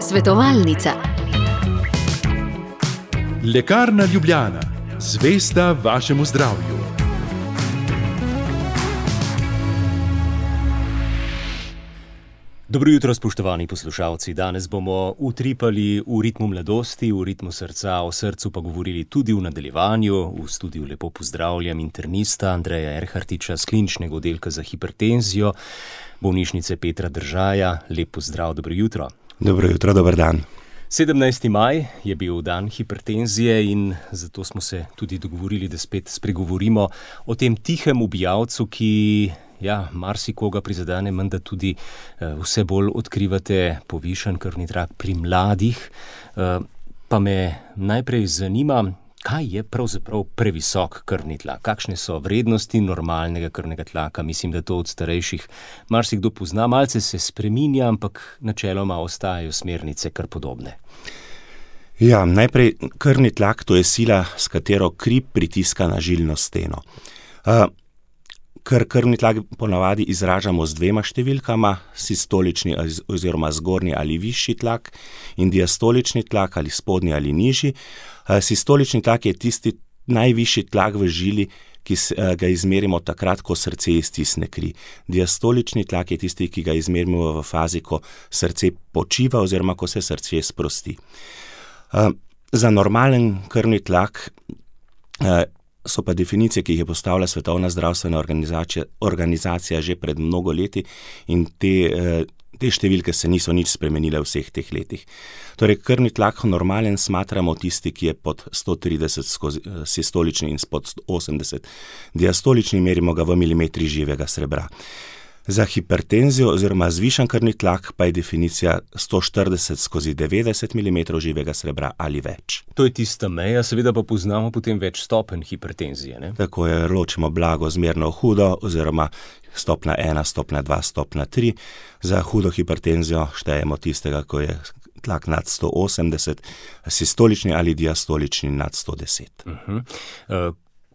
Svetovalnica. Lekarna Ljubljana, zvesta vašemu zdravju. Dobro jutro, spoštovani poslušalci. Danes bomo utripali v ritmu mladosti, v ritmu srca, o srcu pa govorili tudi v nadaljevanju. V studiu lepo pozdravljam internista Andreja Erhartiča z kliničnega oddelka za hipertenzijo, bolnišnice Petra Držaja. Lep pozdrav, dobro jutro. Dobro jutro, dober dan. 17. maj je bil dan hipertenzije in zato smo se tudi dogovorili, da spet spregovorimo o tem tihem ubijalcu, ki marsikoga prizadene, menda tudi vse bolj odkrivate povišan krvni tlak pri mladih. Pa me najprej zanima, kaj je pravzaprav previsok krvni tlak? Kakšne so vrednosti normalnega krvnega tlaka? Mislim, da to od starejših marsikdo pozna. Malce se spreminja, ampak načeloma ostajajo smernice kar podobne. Ja, najprej krvni tlak, to je sila, s katero kri pritiska na žilno steno. Krvni tlak ponavadi izražamo z dvema številkama, sistolični oziroma zgornji ali višji tlak in diastolični tlak ali spodnji ali nižji. Sistolični tlak je tisti najvišji tlak v žili, ki ga izmerimo takrat, ko srce iztisne kri. Diastolični tlak je tisti, ki ga izmerimo v fazi, ko srce počiva oziroma ko se srce sprosti. Za normalen krvni tlak so pa definicije, ki jih je postavila Svetovna zdravstvena organizacija že pred mnogo leti in te številke se niso nič spremenile v vseh teh letih. Torej, krvni tlak normalen smatramo tisti, ki je pod 130 skozi sistolični in pod 180. Diastolični merimo ga v milimetri živega srebra. Za hipertenzijo oziroma zvišan krvni tlak pa je definicija 140 skozi 90 mm živega srebra ali več. To je tista meja, seveda pa poznamo potem več stopenj hipertenzije, ne? Tako je, ločimo blago, zmerno, hudo oziroma stopnja 1, stopnja 2, stopnja 3. Za hudo hipertenzijo štejemo tistega, ko je tlak nad 180, sistolični ali diastolični nad 110.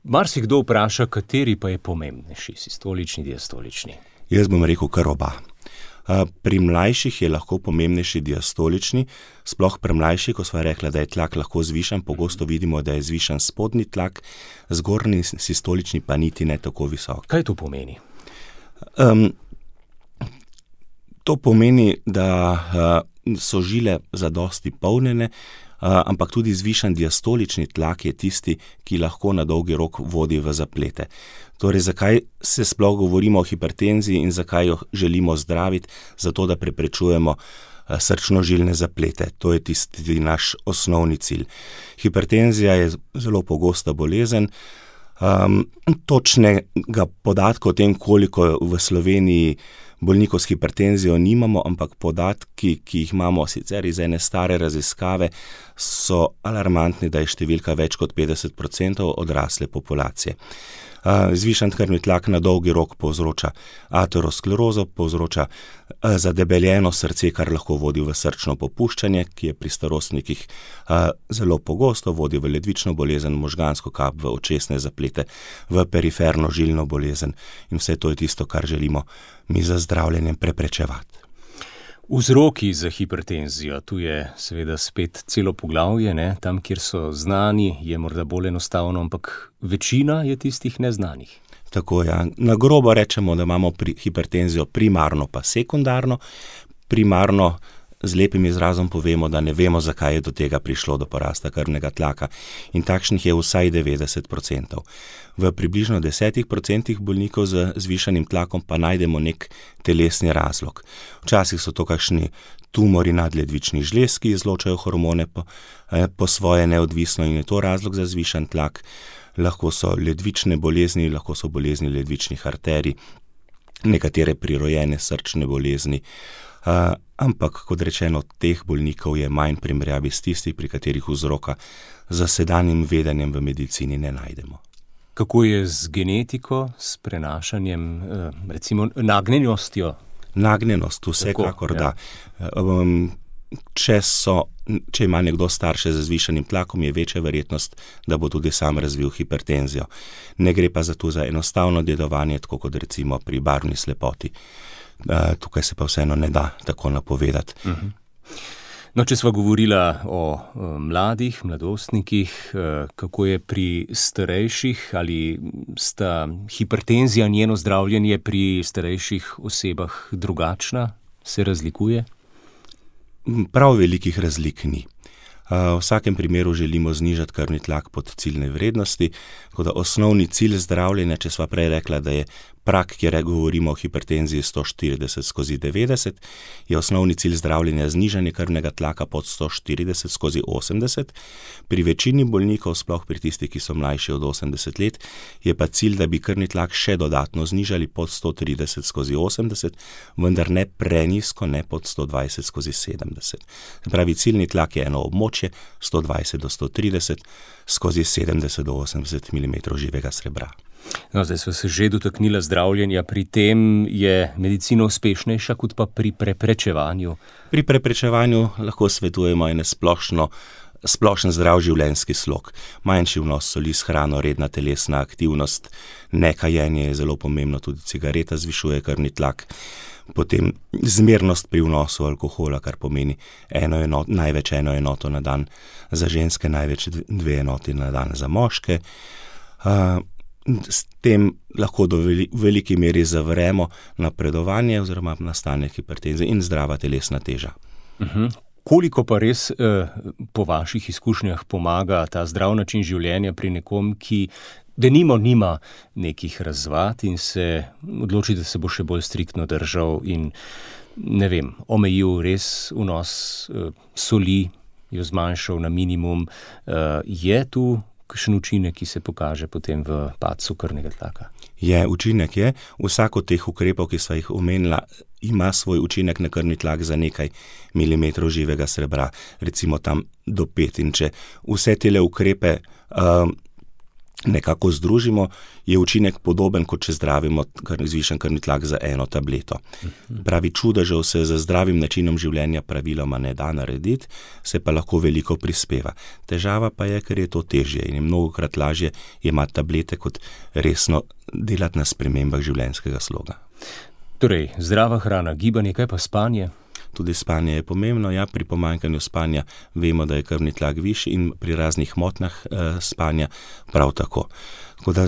Marsikdo vpraša, kateri pa je pomembnejši, sistolični, diastolični? Jaz bom rekel kar oba. Pri mlajših je lahko pomembnejši diastolični, sploh pri mlajših, ko sva rekla, da je tlak lahko zvišan, pogosto vidimo, da je zvišan spodnji tlak, zgornji sistolični pa niti ne tako visok. Kaj to pomeni? To pomeni, da so žile zadosti polnjene, ampak tudi zvišan diastolični tlak je tisti, ki lahko na dolgi rok vodi v zaplete. Torej, zakaj se sploh govorimo o hipertenziji in zakaj jo želimo zdraviti? Zato, da preprečujemo srčno-žilne zaplete. To je tisti naš osnovni cilj. Hipertenzija je zelo pogosta bolezen. Točnega podatka o tem, koliko v Sloveniji bolnikov s hipertenzijo nimamo, ampak podatki, ki jih imamo sicer iz ene stare raziskave, so alarmantni, da je številka več kot 50% odrasle populacije. Zvišan krvni tlak na dolgi rok povzroča aterosklerozo, povzroča zadebeljeno srce, kar lahko vodi v srčno popuščanje, ki je pri starostnikih zelo pogosto, vodi v ledvično bolezen, možgansko kap, v očesne zaplete, v periferno žilno bolezen in vse to je tisto, kar želimo mi za zdravljenjem preprečevati. Vzroki za hipertenzijo, tu je seveda spet celo poglavje, ne? Tam, kjer so znani, je morda bolj enostavno, ampak večina je tistih neznanih. Tako je. Na grobo rečemo, da imamo hipertenzijo primarno pa sekundarno. Primarno z lepim izrazom povemo, da ne vemo, zakaj je do tega prišlo, do porasta krvnega tlaka. In takšnih je vsaj 90%. V približno 10% bolnikov z zvišanim tlakom pa najdemo nek telesni razlog. Včasih so to kakšni tumori nadledvičnih žlez, ki izločajo hormone po svoje neodvisno in je to razlog za zvišan tlak. Lahko so ledvične bolezni, lahko so bolezni ledvičnih arterij, nekatere prirojene srčne bolezni. Ampak, kot rečeno, teh bolnikov je manj primerjavi s tistih, pri katerih vzroka za sedanjim vedenjem v medicini ne najdemo. Kako je z genetiko, s prenašanjem, recimo nagnjenostjo? Nagnjenost, vsekakor da. Če ima nekdo starše z zvišanim tlakom, je večja verjetnost, da bo tudi sam razvil hipertenzijo. Ne gre pa za enostavno dedovanje, tako kot recimo pri barvni slepoti. tukaj se pa vseeno ne da tako napovedati. No, če sva govorila o mladih, mladostnikih, kako je pri starejših, ali sta hipertenzija, njeno zdravljenje pri starejših osebah drugačna, se razlikuje? Prav velikih razlik ni. V vsakem primeru želimo znižati krvni tlak pod ciljne vrednosti, tako da osnovni cilj zdravljenja, če sva prej rekla, da je prak, kjer govorimo o hipertenziji 140/90, je osnovni cilj zdravljenja znižanje krvnega tlaka pod 140/80. Pri večini bolnikov, sploh pri tistih, ki so mlajši od 80 let, je pa cilj, da bi krvni tlak še dodatno znižali pod 130/80, vendar ne prenizko, ne pod 120/70. Se pravi, ciljni tlak je eno območje 120/130/70 do 80 mm živega srebra. No, zdaj smo se že dotaknila zdravljenja, pri tem je medicina uspešnejša kot pa pri preprečevanju. Pri preprečevanju lahko svetujemo en splošen zdrav življenjski slog. Manjši vnos soli s hrano, redna telesna aktivnost, nekajenje je zelo pomembno, tudi cigareta zvišuje krvni tlak. Potem zmernost pri vnosu alkohola, kar pomeni največ eno enoto na dan za ženske, največ 2 enoti na dan za moške. S tem lahko do veliki meri zavremo napredovanje oziroma nastanek hipertenzije in zdrava telesna teža. Koliko pa res po vaših izkušnjah pomaga ta zdrav način življenja pri nekom, ki denimo nima nekih razvad in se odloči, da se bo še bolj striktno držal in, ne vem, omejil res vnos soli, jo zmanjšal na minimum, je tu kakšen učinek, ki se pokaže potem v padcu krvnega tlaka? Učinek je. Vsak od teh ukrepov, ki sva jih omenila, ima svoj učinek na krvni tlak za nekaj milimetrov živega srebra, recimo tam do 5. In če vse tele ukrepe nekako združimo, je učinek podoben, kot če zdravimo zvišen krvni tlak za eno tableto. Pravi, čudežev se z zdravim načinom življenja praviloma ne da narediti, se pa lahko veliko prispeva. Težava pa je, ker je to težje in je mnogokrat lažje jemati tablete, kot resno delati na spremembah življenjskega sloga. Torej, zdrava hrana, gibanje, kaj pa spanje? Tudi spanje je pomembno. Pri pomanjkanju spanja vemo, da je krvni tlak višji in pri raznih motnjah spanja prav tako. Tako da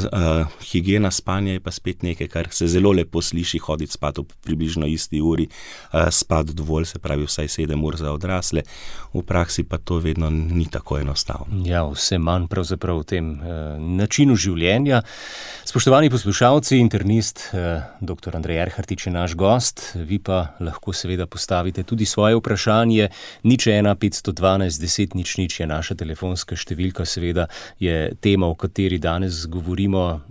higiena spanja je pa spet nekaj, kar se zelo lepo sliši, hoditi spat ob približno isti uri, spat dovolj, se pravi vsaj 7 ur za odrasle. V praksi pa to vedno ni tako enostavno. Vse manj pravzaprav v tem načinu življenja. Spoštovani poslušalci, internist dr. Andrej Erhartič je naš gost, vi pa lahko seveda postavite tudi svoje vprašanje. 01 512 10 00 je naša telefonska številka, seveda je tema, o kateri danes govorimo,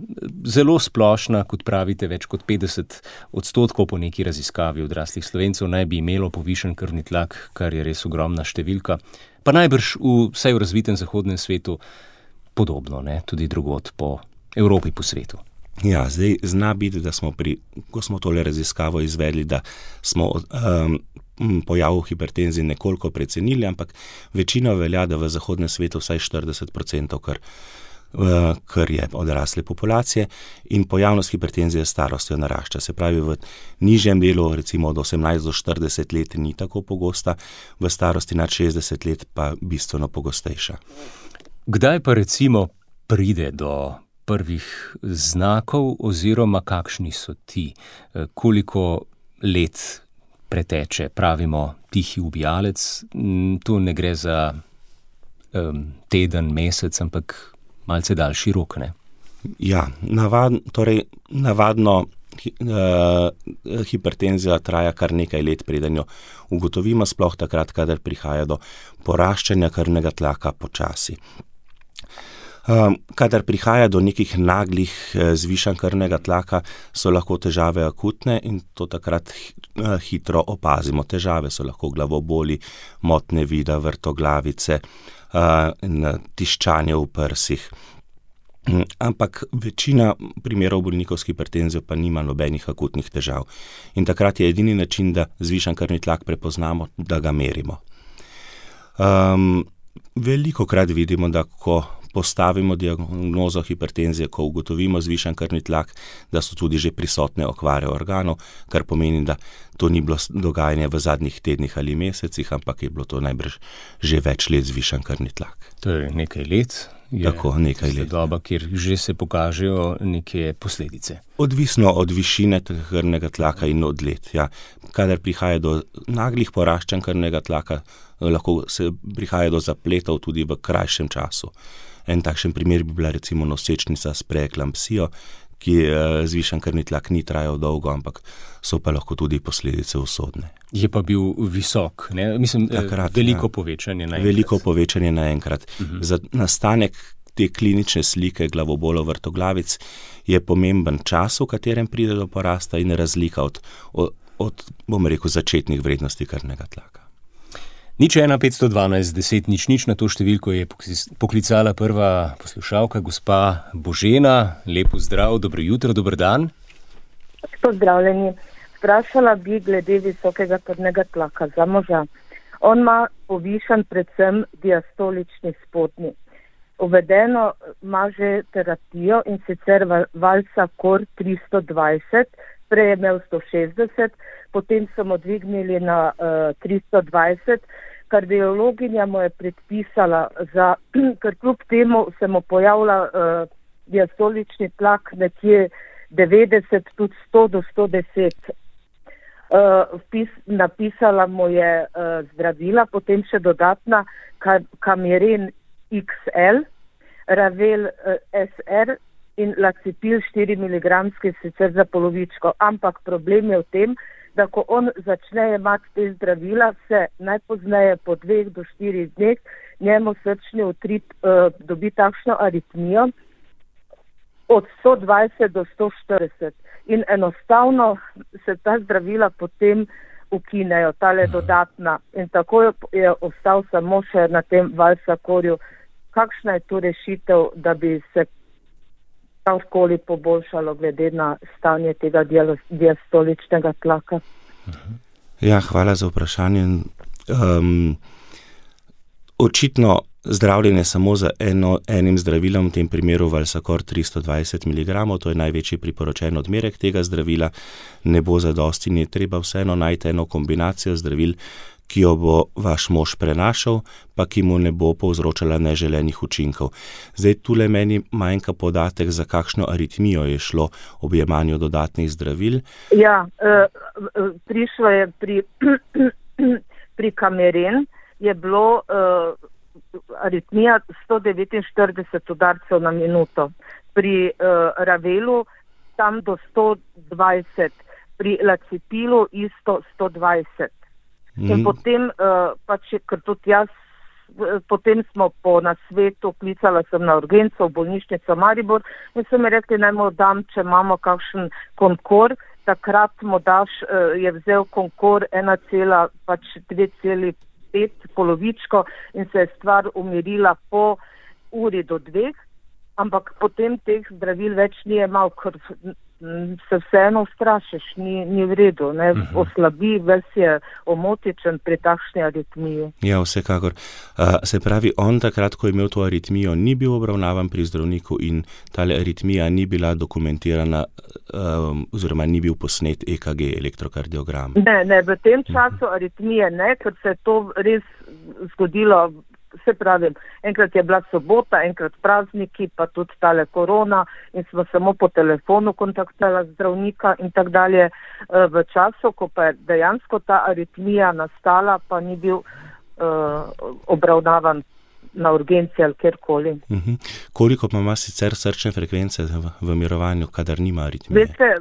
zelo splošna, kot pravite, več kot 50% po neki raziskavi odraslih Slovencev naj bi imelo povišen krvni tlak, kar je res ogromna številka. Pa najbrž vsaj v razvitem zahodnem svetu podobno, tudi drugod po Evropi, po svetu. Zdaj zna biti, da smo ko smo tole raziskavo izvedli, da smo pojav hipertenzije nekoliko precenili, ampak večina velja, da v zahodnem svetu vsaj 40%, kar je odrasle populacije, in pojavnost hipertenzije s starostjo narašča. Se pravi, v nižjem delu, recimo od 18 do 40 let, ni tako pogosta, v starosti nad 60 let pa bistveno pogostejša. Kdaj pa recimo pride do prvih znakov oziroma kakšni so ti? Koliko let preteče, pravimo, tihi ubijalec? Tu ne gre za teden, mesec, ampak malce daljši rok, ne? Navadno hipertenzija traja kar nekaj let, preden jo ugotovimo, sploh takrat, kadar prihaja do poraščanja krvnega tlaka počasi. Kadar prihaja do nekih naglih zvišanj krvnega tlaka, so lahko težave akutne in to takrat hitro opazimo. Težave so lahko glavoboli, motnje vida, vrtoglavice, tiščanje v prsih. Ampak večina primerov bolnikov s hipertenzijo pa nima nobenih akutnih težav. In takrat je edini način, da zvišan krvni tlak prepoznamo, da ga merimo. Velikokrat vidimo, da ko postavimo diagnozo hipertenzije, ko ugotovimo zvišan krvni tlak, da so tudi že prisotne okvare organov, kar pomeni, da to ni bilo dogajanje v zadnjih tednih ali mesecih, ampak je bilo to najbrž že več let zvišan krvni tlak. To je nekaj let. Tako, nekaj let. Doba, kjer že se pokažejo neke posledice. Odvisno od višine krvnega tlaka in od let. Ja. Kadar prihaja do naglih poraščanj krvnega tlaka, lahko se prihaja do zapletov tudi v krajšem času. En takšen primer bi bila recimo nosečnica s preeklampsijo, ki zvišan krvni tlak ni trajal dolgo, ampak so pa lahko tudi posledice usodne. Je pa bil visok, ne? Mislim, takrat, veliko povečanje naenkrat. Veliko povečanje naenkrat. Za nastanek te klinične slike glavobolov vrtoglavic je pomemben čas, v katerem pride do porasta in razlika od bom rekel, začetnih vrednosti krvnega tlaka. 01512 10 00 na to številko je poklicala prva poslušalka, gospa Božena. Lep pozdrav, dobro jutro, dober dan. Pozdravljeni. Vprašala bi glede visokega krvnega tlaka za moža. On ima povišan predvsem diastolični spodnji. Uvedeno ima že terapijo in sicer Valsacor 320, prej je imel 160, potem so mu dvignili na 320, kardiologinja mu je predpisala, ker kljub temu se mu pojavlja diastolični tlak nekje 90, tudi 100 do 110. Napisala mu je zdravila, potem še dodatna Camiren XL, Ravel SR in Lacipil 4 mg, sicer za polovičko. Ampak problem je v tem, da ko on začne imati te zdravila, se najpozneje po 2 do 4 dneh njemu srčni utrip dobi takšno aritmijo od 120 do 140. In enostavno se ta zdravila potem ukinejo, tale dodatna. In tako je ostal samo še na tem Valsacorju. Kakšna je tu rešitev, da bi se karkoli poboljšalo glede na stanje tega diastoličnega tlaka? Ja, hvala za vprašanje. Očitno zdravljenje samo z enim zdravilom, v tem primeru Valsacor 320 mg, to je največji priporočen odmerek tega zdravila, ne bo zadosti, ni treba vseeno najti eno kombinacijo zdravil, ki jo bo vaš mož prenašal, pa ki mu ne bo povzročala neželenih učinkov. Zdaj, tule meni manjka podatek, za kakšno aritmijo je šlo ob jemanju dodatnih zdravil. Ja, prišlo je pri Camiren, je bilo aritmija 149 udarcev na minuto. Pri Ravelu tam do 120, pri Lacipilu isto 120. In potem, ker tudi jaz, potem smo po nasvetu, klicala sem na urgenco v bolnišnico Maribor in so mi rekli, naj mu dam, če imamo kakšen Concor. Takrat mu daš, je vzel Concor 2,5 polovičko in se je stvar umirila po uri do 2, ampak potem teh zdravil več ni imel, ker se vseeno ustrašiš, ni v redu, ne, oslabi, ves je omotičen pri takšni aritmiji. Ja, vsekakor. Se pravi, on takrat, ko je imel to aritmijo, ni bil obravnavan pri zdravniku in tale aritmija ni bila dokumentirana, oziroma ni bil posnet EKG, elektrokardiogram. Ne, v tem času aritmije ne, ker se je to res zgodilo. Se pravi, enkrat je bila sobota, enkrat prazniki, pa tudi tale korona in smo samo po telefonu kontaktirali zdravnika in tak dalje. V času, ko pa je dejansko ta aritmija nastala, pa ni bil obravnavan na urgenci ali kjerkoli. Koliko pa ima sicer srčne frekvence v mirovanju, kadar nima aritmije? Veste,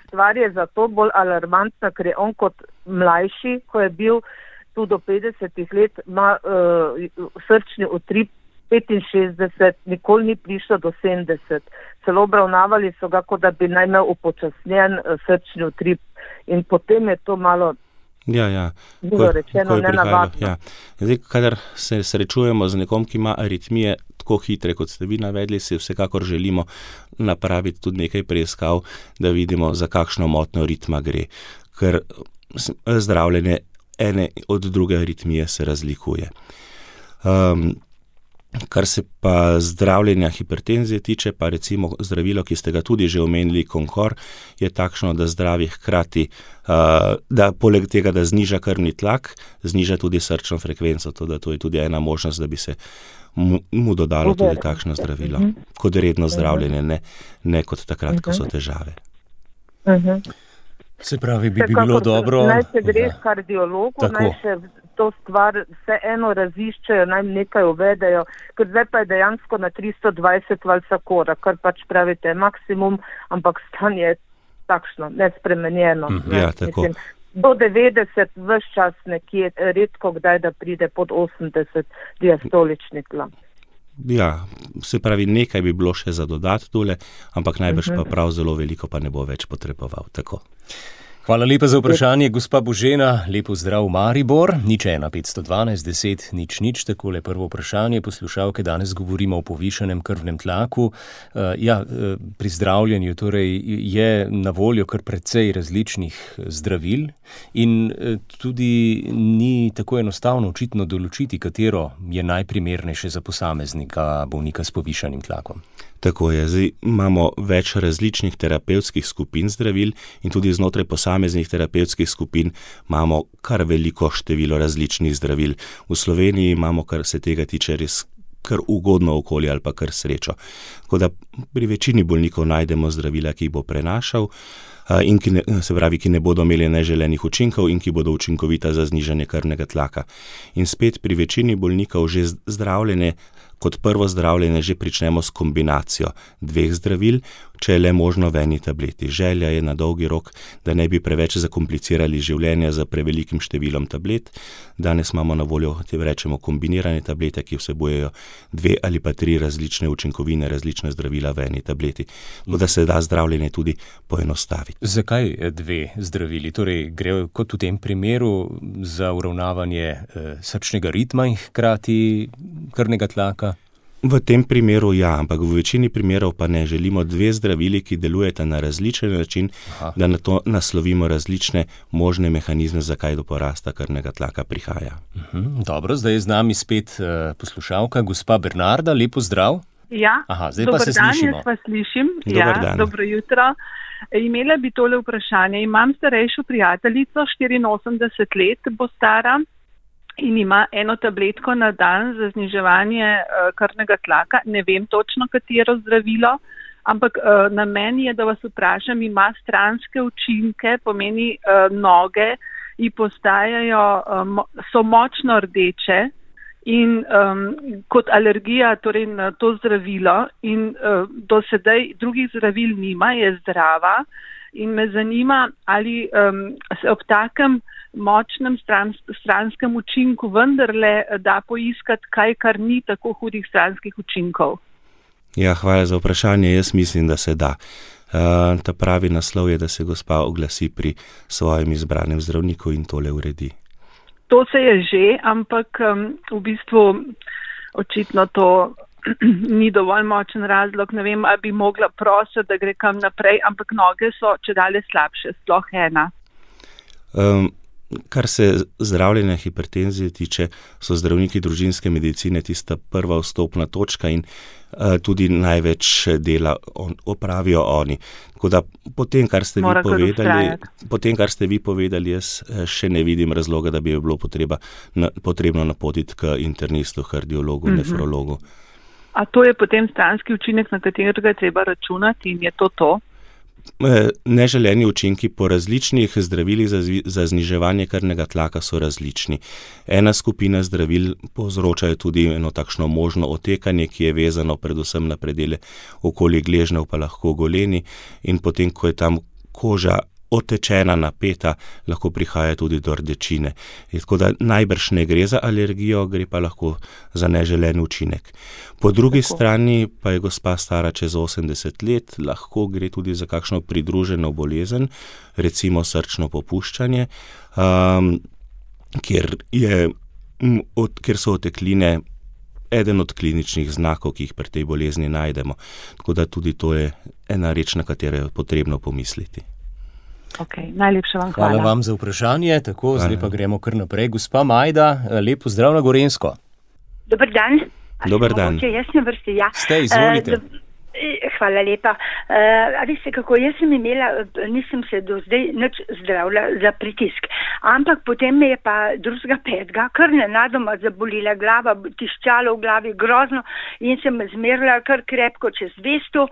stvar je zato bolj alarmantna, ker je on kot mlajši, ko je bil tu do 50 let, ima srčni utrip 65, nikoli ni prišlo do 70. Celo obravnavali so ga, kot da bi naj imel upočasnjen srčni utrip. In potem je to malo bilo rečeno nenavadno. Ja. Zdaj, kadar se srečujemo z nekom, ki ima aritmije tako hitre, kot ste vi navedli, si vsekakor želimo napraviti tudi nekaj preiskav, da vidimo, za kakšno motnjo ritma gre. Ker zdravljenje ene od druge aritmije se razlikuje. Kar se pa zdravljenja hipertenzije tiče, pa recimo zdravilo, ki ste ga tudi že omenili, Concor, je takšno, da zdravi hkrati, da poleg tega, da zniža krvni tlak, zniža tudi srčno frekvenco, to je tudi ena možnost, da bi se mu dodalo tudi takšno zdravilo, kot redno zdravljenje, ne kot takrat, ko so težave. Se pravi, bi bilo dobro... Naj se greš kardiologu, naj še to stvar vseeno raziščejo, naj nekaj uvedejo, ker zdaj pa je dejansko na 320 valsakora, kar pač pravite maksimum, ampak stanje je takšno, nespremenjeno. Ja, tako. Mislim, do 90 ves čas nekje, redko kdaj, da pride pod 80 diastolični tlak. Ja, se pravi, nekaj bi bilo še za dodat tole, ampak najbrž pa prav zelo veliko pa ne bo več potreboval. Tako. Hvala lepa za vprašanje, gospa Božena. Lepo zdrav, Maribor. 01512 10 00, takole prvo vprašanje. Poslušalke, danes govorimo o povišanem krvnem tlaku. Pri zdravljenju torej je na voljo kar precej različnih zdravil in tudi ni tako enostavno očitno določiti, katero je najprimernejše za posameznika bolnika s povišanim tlakom. Tako je, zdaj imamo več različnih terapevtskih skupin zdravil in tudi znotraj posameznih terapevtskih skupin imamo kar veliko število različnih zdravil. V Sloveniji imamo, kar se tega tiče, res kar ugodno okolje ali pa kar srečo. Tako da pri večini bolnikov najdemo zdravila, ki jih bo prenašal in ki ne bodo imeli neželenih učinkov in ki bodo učinkovita za znižanje krvnega tlaka. In spet pri večini bolnikov že zdravljenje, kot prvo zdravljenje že pričnemo s kombinacijo dveh zdravil, če je le možno v eni tableti. Želja je na dolgi rok, da ne bi preveč zakomplicirali življenja za prevelikim številom tablet. Danes imamo na voljo, rečemo, kombinirane tablete, ki vsebujejo 2 ali pa 3 različne učinkovine, različne zdravila v eni tableti. Da se da zdravljenje tudi poenostaviti. Zakaj 2 zdravili? Torej, gre kot v tem primeru za uravnavanje srčnega ritma in hkrati krvnega tlaka? V tem primeru ja, ampak v večini primerov pa ne. Želimo 2 zdravili, ki delujeta na različen način, da na to naslovimo različne možne mehanizme, zakaj do porasta krvnega tlaka prihaja. Dobro, zdaj je z nami spet poslušalka, gospa Bernarda, lepo zdrav. Ja, zdaj pa se slišimo. Jaz pa slišim. Dobar dan. Dobro jutro. Imela bi tole vprašanje. Imam starejšo prijateljico, 84 let bo stara, in ima eno tabletko na dan za zniževanje krvnega tlaka. Ne vem točno, katero zdravilo, ampak namen je, da vas vprašam, ima stranske učinke, pomeni noge ji postajajo, so močno rdeče in kot alergija torej na to zdravilo in do sedaj drugih zdravil nima, je zdrava in me zanima, ali se ob takem močnem stranskem učinku vendarle da poiskati kaj, kar ni tako hudih stranskih učinkov. Ja, hvala za vprašanje. Jaz mislim, da se da. Ta pravi naslov je, da se gospa oglasi pri svojem izbranem zdravniku in tole uredi. To se je že, ampak v bistvu očitno to ni dovolj močen razlog. Ne vem, ali bi mogla prositi, da gre kam naprej, ampak noge so čedalje slabše, sploh ena. Kar se zdravljenja hipertenzije tiče, so zdravniki družinske medicine tista prva vstopna točka in tudi največ dela opravijo oni. Tako da po tem, kar ste vi povedali, jaz še ne vidim razloga, da bi bilo potrebno napotiti k internistu, kardiologu, nefrologu. A to je potem stranski učinek, na katerega je treba računati in je to? Neželeni učinki po različnih zdravilih za zniževanje krvnega tlaka so različni. Ena skupina zdravil povzročajo tudi eno takšno možno otekanje, ki je vezano predvsem na predele okoli gležnjev, pa lahko goleni, in potem, ko je tam koža otečena, napeta, lahko prihaja tudi do rdečine. Tako da najbrž ne gre za alergijo, gre pa lahko za neželen učinek. Po drugi strani pa je gospa stara čez 80 let, lahko gre tudi za kakšno pridruženo bolezen, recimo srčno popuščanje, kjer so otekline eden od kliničnih znakov, ki jih pri tej bolezni najdemo. Tako da tudi to je ena reč, na katero je potrebno pomisliti. Najlepša vam hvala. Hvala vam za vprašanje. Tako, zdaj pa gremo kar naprej. Gospa Majda, lepo zdrav na Gorenjsko. Dober dan. Dober dan. Jaz sem vrsti, ja. Ste, izvolite. Hvala lepa. A veste kako, jaz sem imela, nisem se do zdaj nič zdravila za pritisk, ampak potem me je pa 2.5. kar nenadoma zabolila glava, tiščalo v glavi grozno in sem zmerila kar krepko čez 200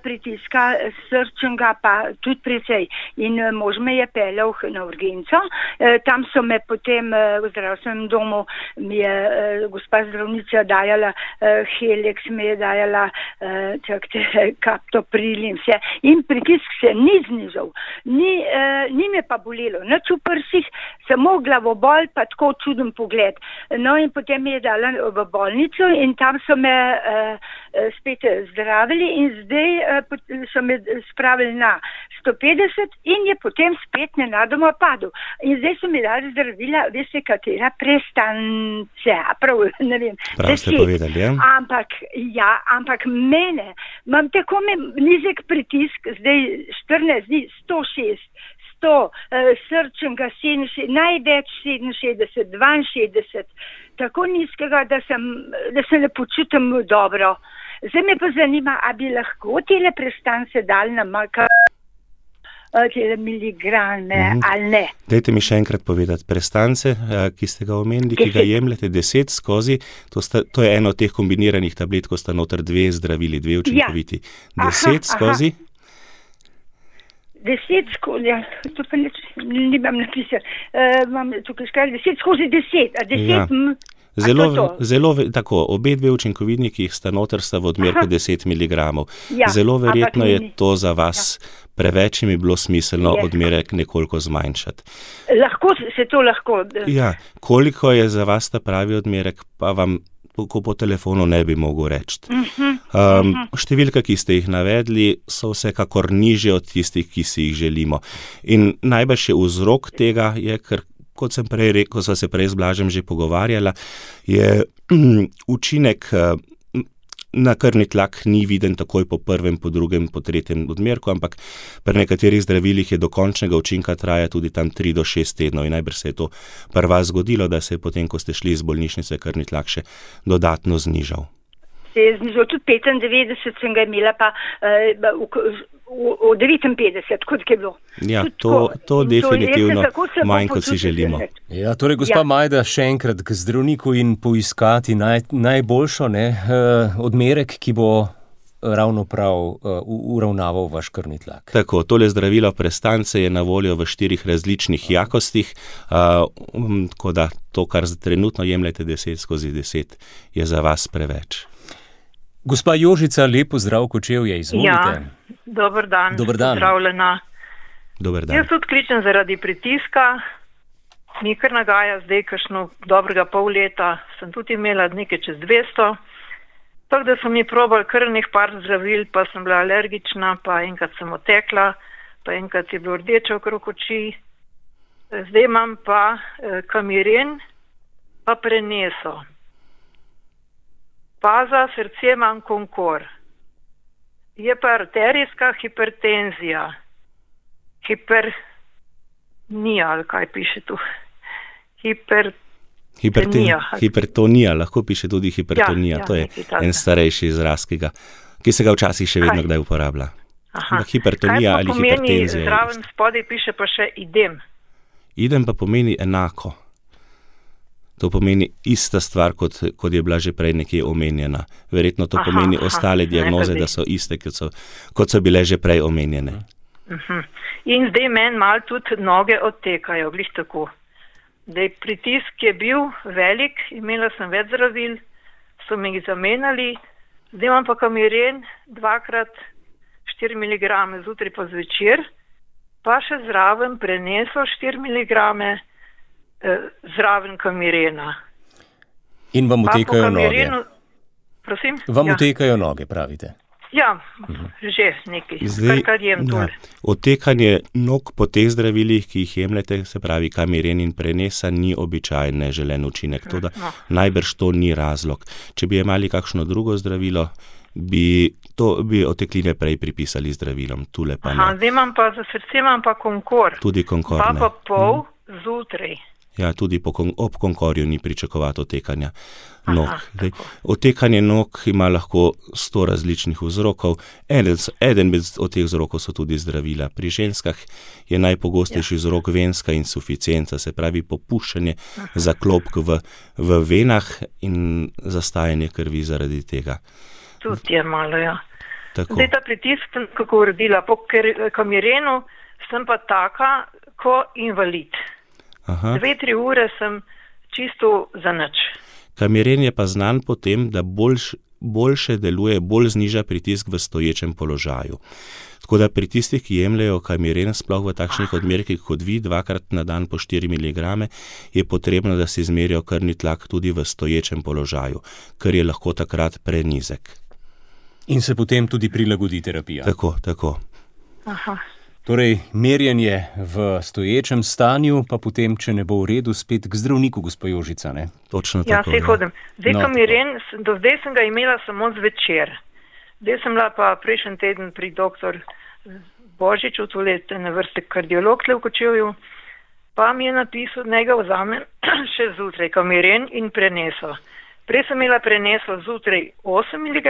pritiska, srčnega pa tudi precej. In mož me je peljal na urgenco, tam so me potem v zdravstvenem domu mi je gospa zdravnica dajala Helix, me je dajala kaptopril in vse. In pritisk se ni znižal. Ni me pa bolelo. Nič v prsih, samo glavobol pa tako čuden pogled. No in potem me je dala v bolnico in tam so me spet zdravili in zdaj so me spravili na 150 in je potem spet nenadoma padel. In zdaj so mi dali zdravila, veste katera, prestance, prav, ne vem. Prav ste povedali, ja? Ampak mene, imam tako nizek pritisk, zdaj 14 dni, 106, 100, srčnega 67, največ 67, 62, tako nizkega, da se ne počutim dobro. Zdaj me pa zanima, a bi lahko tele prestance dali na tele miligrame ali ne. Dajte mi še enkrat povedati, prestance, ki ste ga omenili, ki ga jemljete 10 skozi, to je eno od teh kombiniranih tablet, ko sta noter 2 zdravili, 2 učinkoviti. 10 skozi? 10 skozi, ja, to pa nimam napisati. Imam tukaj škaj 10 skozi 10, a 10 Zelo, tako, obe 2 učinkovini, ki jih sta noter, sta v odmerku 10 mg. Zelo verjetno je to za vas preveč in bi bilo smiselno odmerek nekoliko zmanjšati. Lahko. Ja, koliko je za vas ta pravi odmerek, pa vam po telefonu ne bi mogel reči. Številka, ki ste jih navedli, so vsekakor nižje od tistih, ki si jih želimo. In najbrž je vzrok tega, ker kot sem prej rekel, ko sva se prej z Blažem že pogovarjala, je učinek na krvni tlak ni viden takoj po prvem, po drugem, po tretjem odmerku, ampak pri nekaterih zdravilih je do končnega učinka traja tudi tam 3 do 6 tednov in najbrž se je to pri vas zgodilo, da se je potem, ko ste šli iz bolnišnice, krvni tlak še dodatno znižal. Se je znižal tudi 95, sem ga imela pa v 59, kot je bilo. Ja, to definitivno manj, kot si želimo. Ja, torej, gospa Majda, še enkrat k zdravniku in poiskati najboljšo odmerek, ki bo ravno prav uravnaval vaš krvni tlak. Tako, tole zdravilo prestance je na voljo v 4 različnih jakostih, tako da to, kar trenutno jemljete 10 skozi 10, je za vas preveč. Gospa Jožica, lep pozdrav, Kočevje, izvolite. Ja, dober dan. Pozdravljena. Dober dan. Jaz tudi kličem zaradi pritiska, mi kar nagaja zdaj kakšno dobrega pol leta, sem tudi imela nekaj čez 200, tako da so mi probali kar par zdravil, pa sem bila alergična, pa enkrat sem otekla, pa enkrat je bilo rdeče okrog oči. Zdaj imam pa Kamiren, pa Preneso. Pa za srce imam Konkor. Je pa arterijska hipertenzija. Hipertonija, ali kaj piše tu? Hipertonija, lahko piše tudi hipertonija. Ja, to je en starejši izraz, ki se ga včasih še vedno kdaj uporablja. Hipertonija ali hipertenzija. Zraven spodaj piše pa še idem. Idem pa pomeni enako. To pomeni ista stvar, kot je bila že prej nekje omenjena. Verjetno to pomeni ostale diagnoze, da so iste, kot so bile že prej omenjene. In zdaj meni malo tudi noge odtekajo, glih tako. Zdaj pritisk je bil velik, imela sem več zdravil, so mi jih zamenjali, zdaj imam pa Kamiren 2x4 mg zjutraj pa zvečer, pa še zraven Preneso 4 mg zraven Kamirena. In vam utekajo noge. Prosim? Vam utekajo noge, pravite. Ja, že nekaj, kar jem tole. Otekanje nog po teh zdravilih, ki jih jemljete, se pravi Kamiren in Prenesa, ni običajen neželen učinek. Toda najbrž to ni razlog. Če bi imeli kakšno drugo zdravilo, bi otekline prej pripisali zdravilom. Tule pa ne. Zdaj imam pa za srce imam pa Konkor. Tudi Konkor, ne. Pa pol zjutraj. Ja, tudi ob konkorju ni pričakovati otekanja nog. Otekanje nog ima lahko 100 različnih vzrokov. Eden od teh vzrokov so tudi zdravila. Pri ženskah je najpogostejši vzrok venska insuficienca, se pravi popuščanje zaklopk v venah in zastajanje krvi zaradi tega. Tudi je malo, ja. Tako. Zdaj ta pritisk sem kako uredila. Po kamirenu sem pa taka, ko invalid. 2-3 ure sem čisto za nič. Kamiren je pa znan po tem, da boljše deluje, bolj zniža pritisk v stoječem položaju. Tako da pri tistih, ki jemljejo kamiren, sploh v takšnih odmerkih kot vi, 2krat na dan po 4 mg, je potrebno, da se izmerijo krvni tlak tudi v stoječem položaju, ker je lahko takrat prenizek. In se potem tudi prilagodi terapija. Tako. Aha. Torej, merjenje v stoječem stanju, pa potem, če ne bo v redu, spet k zdravniku, gospa Jožica, ne? Točno ja, tako. Ja, se hodim. Zdaj kamiren, do zdaj sem ga imela samo zvečer. Zdaj sem bila pa prejšnji teden pri doktor Božiču, tole na vrste kardiolog tle v Kočevju, pa mi je napisal, naj ga vzamem še zjutraj kamiren in preneso. Prej sem imela preneso zjutraj 8 mg,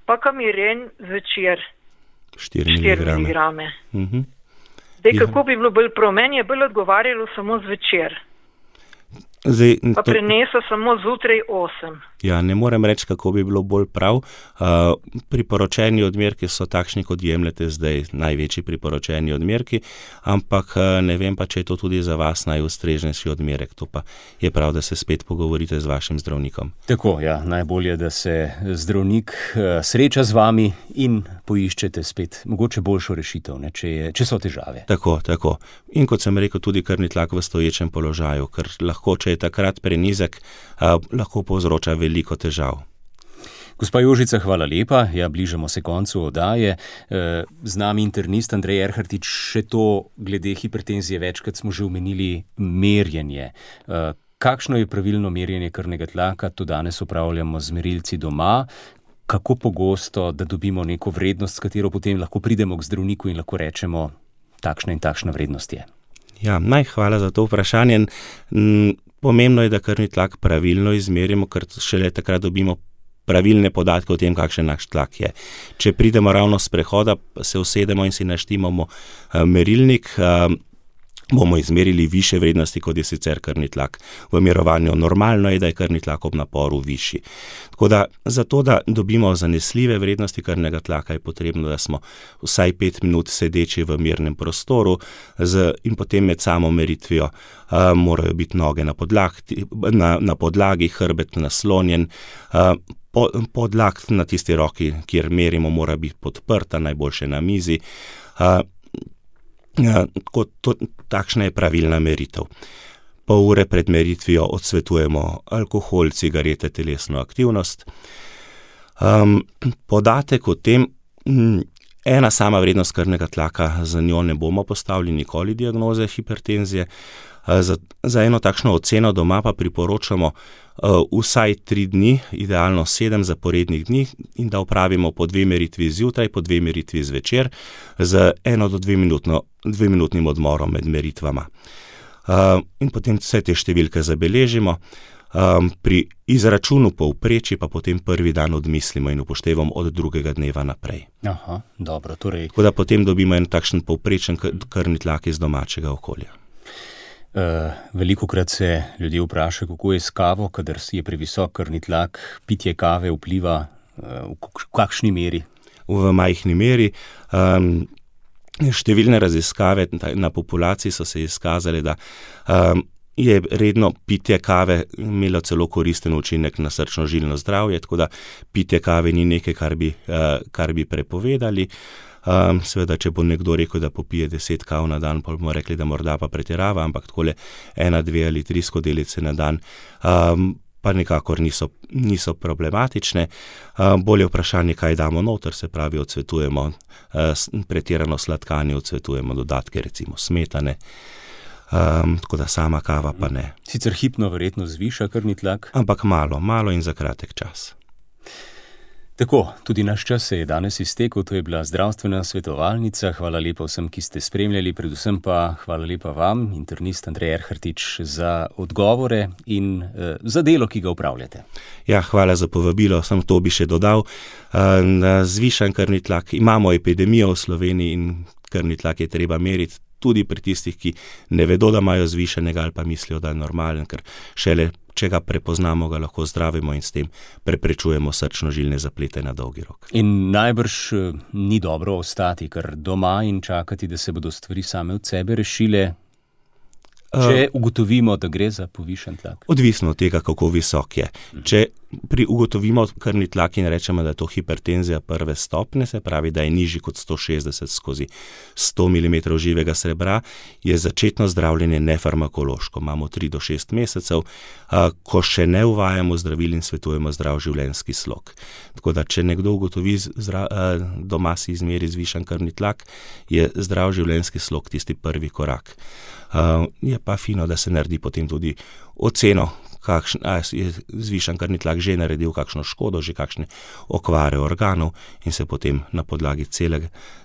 pa kamiren zvečer 4 mg. Zdaj, kako bi bilo bolj prav? Meni je bolj odgovarjalo samo zvečer. Pa preneso samo zjutraj 8. Ja, ne morem reči, kako bi bilo bolj prav. Priporočeni odmerki so takšni, kot jemljete zdaj, največji priporočeni odmerki, ampak ne vem pa, če je to tudi za vas najustrežnejši odmerek. To pa je prav, da se spet pogovorite z vašim zdravnikom. Tako, ja, najbolje, da se zdravnik sreča z vami in poiščete spet mogoče boljšo rešitev, ne, če so težave. Tako. In kot sem rekel, tudi krvni tlak v stoječem položaju, ker lahko, če je takrat prenizek, lahko povzroča veliko težav. Gospa Jožica, hvala lepa. Ja, bližamo se koncu oddaje. Z nami internist Andrej Erhartič, še to glede hipertenzije, večkrat smo že omenili merjenje. Kakšno je pravilno merjenje krvnega tlaka? To danes opravljamo z merilci doma. Kako pogosto, da dobimo neko vrednost, s katero potem lahko pridemo k zdravniku in lahko rečemo, takšna in takšna vrednost je? Ja, hvala za to vprašanje. Pomembno je, da krvni tlak pravilno izmerimo, ker šele takrat dobimo pravilne podatke o tem, kakšen naš tlak je. Če pridemo ravno s prehoda, se usedemo in si naštimamo merilnik, bomo izmerili više vrednosti, kot je sicer krvni tlak. V mirovanju normalno je, da je krvni tlak ob naporu višji. Tako da, zato da dobimo zanesljive vrednosti krvnega tlaka, je potrebno, da smo vsaj 5 minut sedeči v mirnem prostoru in potem med samo meritvijo morajo biti noge na podlagi, hrbet naslonjen, podlag na tisti roki, kjer merimo, mora biti podprta, najboljše na mizi. Takšna je pravilna meritev. Pol ure pred meritvijo odsvetujemo alkohol, cigarete, telesno aktivnost. Podatek o tem, ena sama vrednost krvnega tlaka, za njo ne bomo postavili nikoli diagnoze hipertenzije. Za eno takšno oceno doma pa priporočamo vsaj 3 dni, idealno 7 zaporednih dni, in da opravimo po 2 meritvi zjutraj, po 2 meritvi zvečer, z 1 do 2 minutnim odmorom med meritvama. In potem vse te številke zabeležimo, pri izračunu povprečji pa potem prvi dan odmislimo in upoštevamo od drugega dneva naprej. Aha, dobro, torej. Tako da potem dobimo en takšen povprečen krvni tlak iz domačega okolja. Velikokrat se ljudje vprašajo, kako je s kavo, kadar je previsok krvni tlak, pitje kave vpliva v kakšni meri? V majhni meri. Številne raziskave na populaciji so se izkazali, da je redno pitje kave imelo celo koristen učinek na srčno-žilno zdravje, tako da pitje kave ni nekaj, kar bi prepovedali. Seveda, če bo nekdo rekel, da popije 10 kav na dan, pa bomo rekli, da morda pa pretirava, ampak takole 1, 2 ali 3 skodelice na dan pa nikakor niso problematične. Bolje vprašanje, kaj damo noter, se pravi, odsvetujemo pretirano sladkanje, odsvetujemo dodatke, recimo smetane, tako da sama kava pa ne. Sicer hipno verjetno zviša krvni tlak? Ampak malo in za kratek čas. Tako, tudi naš čas se je danes iztekel, to je bila zdravstvena svetovalnica. Hvala lepa vsem, ki ste spremljali, predvsem pa hvala lepa vam, internist Andrej Erhartič, za odgovore in za delo, ki ga upravljate. Ja, hvala za povabilo, sem to bi še dodal. Zvišan krvni tlak, imamo epidemijo v Sloveniji in krvni tlak je treba meriti tudi pri tistih, ki ne vedo, da imajo zvišenega ali pa mislijo, da je normalen, ker šele če ga prepoznamo, ga lahko zdravimo in s tem preprečujemo srčno-žilne zaplete na dolgi rok. In najbrž ni dobro ostati kar doma in čakati, da se bodo stvari same od sebe rešile, če ugotovimo, da gre za povišen tlak. Odvisno od tega, kako visok je. Če ugotovimo krvni tlak in rečemo, da je to hipertenzija prve stopnje, se pravi, da je nižji kot 160/100 mm živega srebra, je začetno zdravljenje nefarmakološko. Imamo 3 do 6 mesecev, ko še ne uvajamo zdravil in svetujemo zdrav življenjski slog. Tako da, če nekdo ugotovi doma si izmeri zvišan krvni tlak, je zdrav življenjski slog tisti prvi korak. Je pa fino, da se naredi potem tudi oceno, je zvišan krvni tlak že naredil kakšno škodo, že kakšne okvare organov in se potem na podlagi cele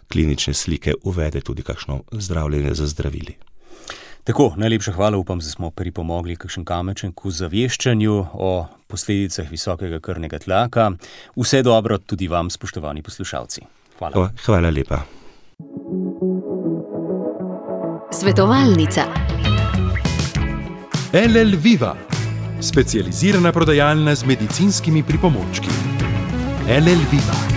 klinične slike uvede tudi kakšno zdravljenje z zdravili. Tako, najlepša hvala, upam, da smo pripomogli kakšen kamenček k ozaveščanju o posledicah visokega krvnega tlaka. Vse dobro tudi vam, spoštovani poslušalci. Hvala. Hvala lepa. Svetovalnica. LL Viva, specializirana prodajalna z medicinskimi pripomočki. LL Viva.